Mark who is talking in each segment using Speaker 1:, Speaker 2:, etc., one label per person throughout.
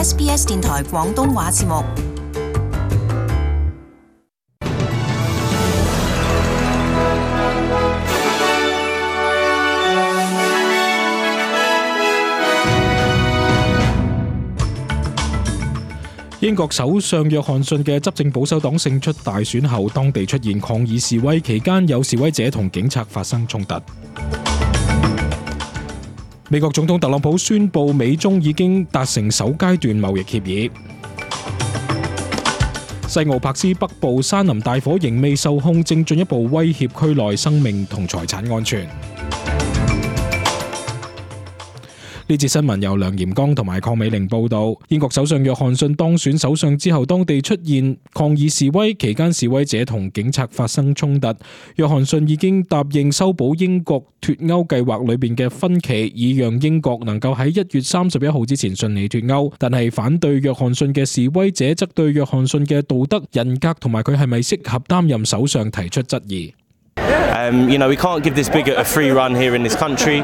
Speaker 1: SBS 電台廣東話節目。
Speaker 2: 英國首相約翰遜嘅執政保守黨勝出大選後，當地出現抗議示威，期間有示威者同警察發生衝突。美國總統特朗普宣布美中已經達成首階段貿易協議。西澳柏斯北部山林大火仍未受控，正進一步威脅區內生命同財產安全。呢節新聞由梁炎剛同埋鄺美玲報道。英國首相約翰遜當選首相之後，當地出現抗議示威，期間示威者同警察發生衝突。約翰遜已經答應修補英國脫歐計劃裏邊嘅分歧，以讓英國能夠喺1月31號之前順利脫歐。但係反對約翰遜嘅示威者則對約翰遜嘅道德、人格同埋佢係咪適合擔任首相提出質疑。
Speaker 3: We can't give this bigot a free run here in this country.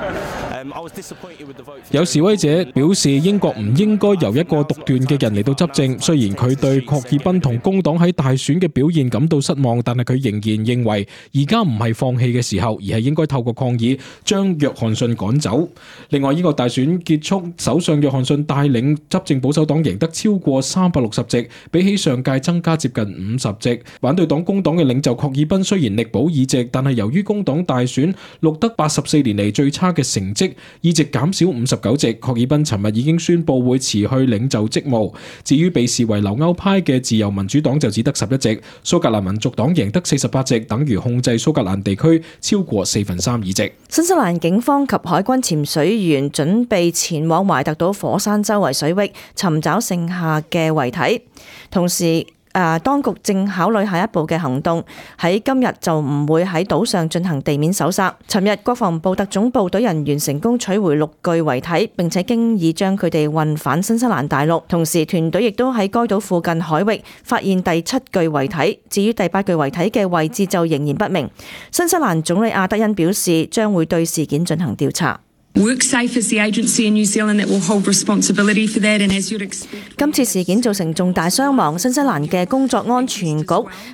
Speaker 2: 有示威者表示，英國唔應該由一個獨斷嘅人嚟到執政。雖然佢對郝爾彬同工黨喺大選嘅表現感到失望，但係佢仍然認為而家唔係放棄嘅時候，而係應該透過抗議將約翰遜趕走。另外，英國大選結束，首相約翰遜帶領執政保守黨贏得超過360席，比起上屆增加接近50席。反對黨工黨嘅領袖郝爾彬雖然力保議席，但係由於工黨大選錄得84年嚟最差嘅成績，議席減少59席。郝爾彬尋日已經宣布會辭去領袖職務。至於被視為留歐派嘅自由民主黨就只得11席。蘇格蘭民族黨贏得48席，等於控制蘇格蘭地區超過4/3議席。
Speaker 4: 新西蘭警方及海軍潛水員準備前往懷特島火山周圍水域尋找剩下嘅遺體，同時當局正考慮下一步嘅行動，喺今日就唔會喺島上進行地面搜索。尋日國防部特種部隊人員成功取回6具遺體，並且經已將佢哋運返新西蘭大陸。同時團隊亦都喺該島附近海域發現第7具遺體，至於第8具遺體嘅位置就仍然不明。新西蘭總理阿德恩表示，將會對事件進行調查。今次事件造成重大傷亡，新西蘭嘅工作安全局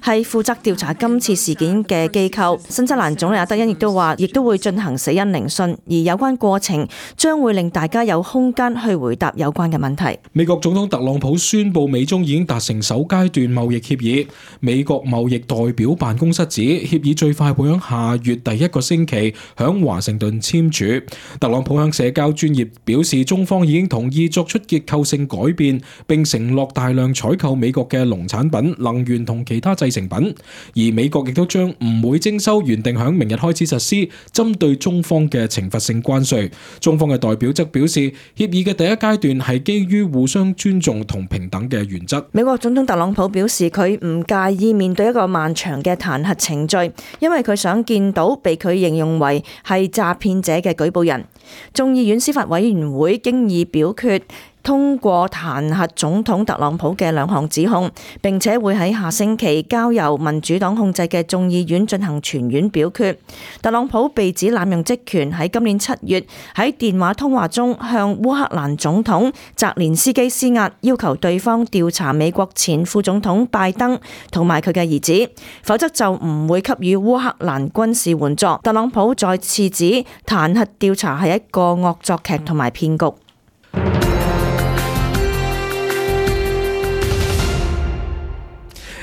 Speaker 4: 係負責調查今次事件嘅機構。新西蘭總理阿德恩亦都話，亦都會進行死因聆訊，而有關過程將會令大家有空間去回答有關嘅問題。
Speaker 2: 美國總統特朗普宣布美中已經達成首階段貿易協議。美國貿易代表辦公室指，協議最快會喺下月第1個星期響華盛頓簽署。特朗普向社交專頁表示，中方已經同意作出結構性改變，並承諾大量採購美國嘅農產品、能源同其他製成品。而美國亦都將唔會徵收原定響明日開始實施針對中方嘅懲罰性關稅。中方嘅代表則表示，協議嘅第一階段係基於互相尊重同平等嘅原則。
Speaker 4: 美國總統特朗普表示，佢唔介意面對一個漫長嘅彈劾程序，因為佢想見到被佢形容為係詐騙者嘅舉報人。眾議院司法委員會經已表決通過彈劾總統特朗普嘅2項指控，並且會喺下星期交由民主黨控制嘅眾議院進行全院表決。特朗普被指濫用職權，喺今年7月喺電話通話中向烏克蘭總統澤連斯基施壓，要求對方調查美國前副總統拜登同埋佢嘅兒子，否則就唔會給予烏克蘭軍事援助。特朗普再次指彈劾調查係一個惡作劇同埋騙局。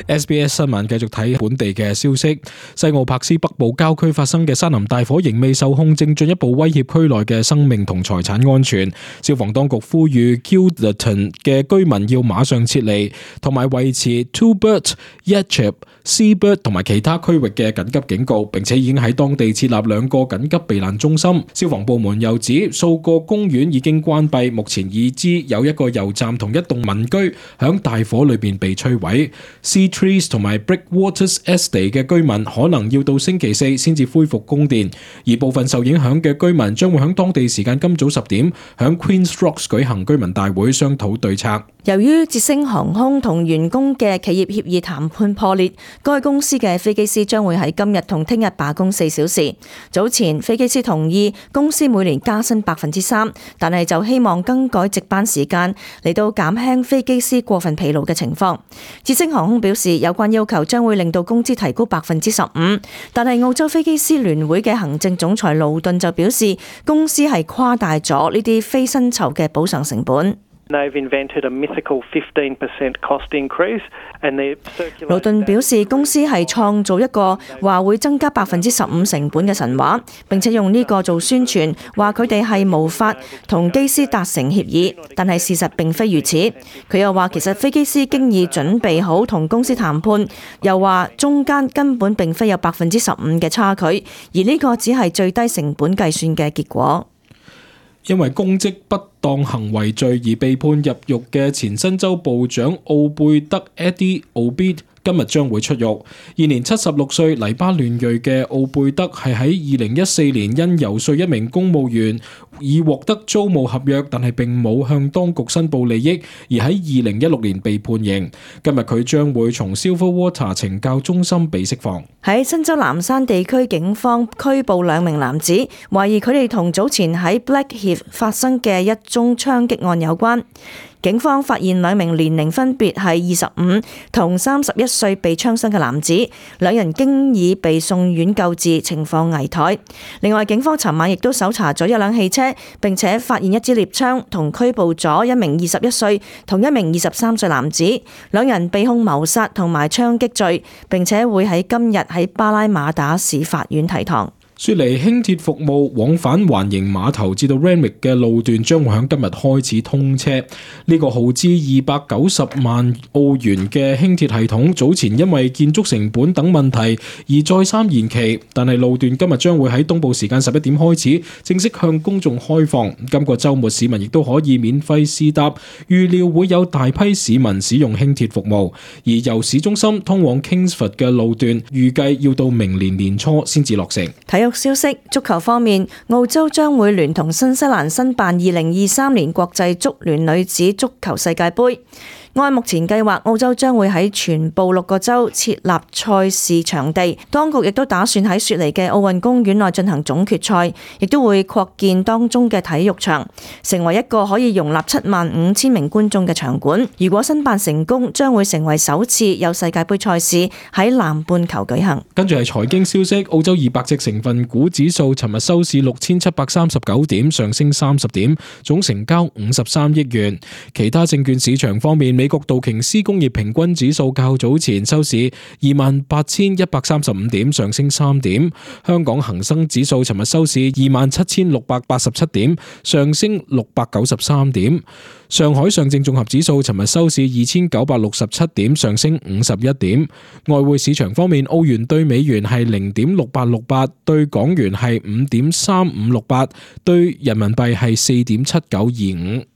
Speaker 2: SBS 新聞繼續睇本地嘅消息。西澳柏斯北部郊區發生嘅山林大火仍未受控，正進一步威脅區內嘅生命同財產安全。消防當局呼籲 Kilderton 嘅居民要馬上撤離，同埋維持 Tubert、Yatchep、Seabird 同埋其他區域嘅緊急警告，並且已經喺當地設立2個緊急避難中心。消防部門又指，數個公園已經關閉，目前已知有一個油站同一棟民居響大火裏邊被摧毀。Trees 同埋 Breakwaters Estate 嘅居民可能要到星期4先至恢復供電，而部分受影響嘅居民將會響當地時間今早10點響 Queen's Rocks 舉行居民大會商討對策。
Speaker 4: 由於捷星航空同員工嘅企業協議談判破裂，該公司嘅飛機師將會喺今日同聽日罷工4小時。早前飛機師同意公司每年加薪3%，但係就希望更改值班時間嚟到減輕飛機師過分疲勞嘅情況。捷星航空表示，有關要求將會令到工資提高15%，但係澳洲飛機師聯會嘅行政總裁勞頓就表示，公司係誇大咗呢啲非薪酬嘅補償成本。
Speaker 5: They've invented a mythical 15% cost increase, and they're circulating.
Speaker 4: 勞頓表示，公司係創造一個話會增加15%成本嘅神話，並且用呢個做宣傳，話佢哋係無法同機師達成協議，但係事實並非如此。佢又話其實飛機師經已準備好同公司談判，又話中間根本並非有15%嘅差距，而呢個只係最低成本計算嘅結果。
Speaker 2: 因為公職不當行為罪而被判入獄嘅前新州部長奧貝德 Eddie Obeid今日將會出獄。現年76歲黎巴嫩裔嘅奧貝德係喺2014年因遊說一名公務員以獲得租務合約，但係並冇向當局申報利益，而喺2016年被判刑。今日佢將會從 Silverwater 懲教中心被釋放。
Speaker 4: 喺新州南山地區，警方拘捕2名男子，懷疑佢哋同早前喺 Blackheath 發生嘅一宗槍擊案有關。警方發現2名年齡分別係25同31歲被槍傷嘅男子，2人經已被送院救治，情況危殆。另外，警方尋晚亦都搜查咗一輛汽車，並且發現一支獵槍，同拘捕咗1名21歲同1名23歲男子，2人被控謀殺同埋槍擊罪，並且會喺今日喺巴拉馬打市法院提堂。
Speaker 2: 雪梨輕鐵服務往返環形碼頭至到 Randwick 嘅路段將會喺今日開始通車。呢個耗資290萬澳元嘅輕鐵系統早前因為建築成本等問題而再三延期，但係路段今日將會喺東部時間11點開始正式向公眾開放。今個週末市民亦都可以免費試搭，預料會有大批市民使用輕鐵服務。而由市中心通往 Kingsford 嘅路段預計要到明年年初先至落成。
Speaker 4: 體育消息，足球方面，澳洲將會聯同新西蘭申辦2023年國際足聯女子足球世界盃。按目前計劃，澳洲將會喺全部6個州設立賽事場地，當局亦都打算喺雪梨嘅奧運公園內進行總決賽，亦都會擴建當中嘅體育場，成為一個可以容納75,000名觀眾嘅場館。如果申辦成功，將會成為首次有世界盃賽事喺南半球舉行。
Speaker 2: 跟住係財經消息，澳洲200隻成分股指數尋日收市6739點，上升30點，總成交53億元。其他證券市場方面，美國道瓊斯工業平均指數較早前收市28,135點，上升3點。香港恒生指數尋日收市27,687點，上升693點。上海上證綜合指數尋日收市2,967點，上升51點。外匯市場方面，澳元對美元係0.6868，對港元係5.3568，對人民幣係4.7925。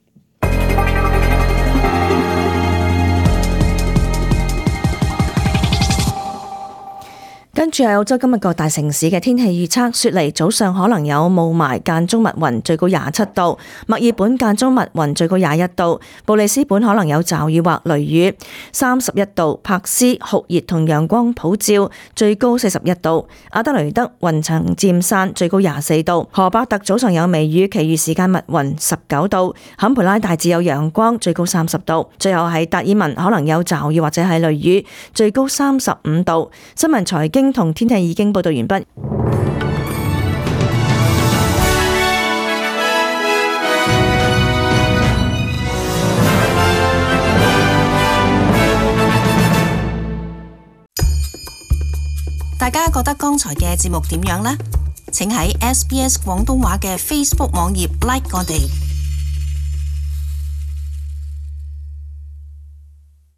Speaker 4: 跟住係澳洲今日各大城市嘅天氣預測：雪梨早上可能有霧霾間中密雲，最高27度；墨爾本間中密雲，最高21度；布里斯本可能有驟雨或雷雨，31度；柏斯酷熱同陽光普照，最高41度；阿德雷德雲層漸散，最高24度；荷伯特早上有微雨，其餘時間密雲，19度；坎培拉大致有陽光，最高30度；最後係達爾文可能有驟雨或者係雷雨，最高35度。新聞財經同天氣已經報道完畢。
Speaker 1: 大家覺得剛才嘅節目點樣呢？請喺SBS 廣東話嘅 Facebook 網頁 like 我哋。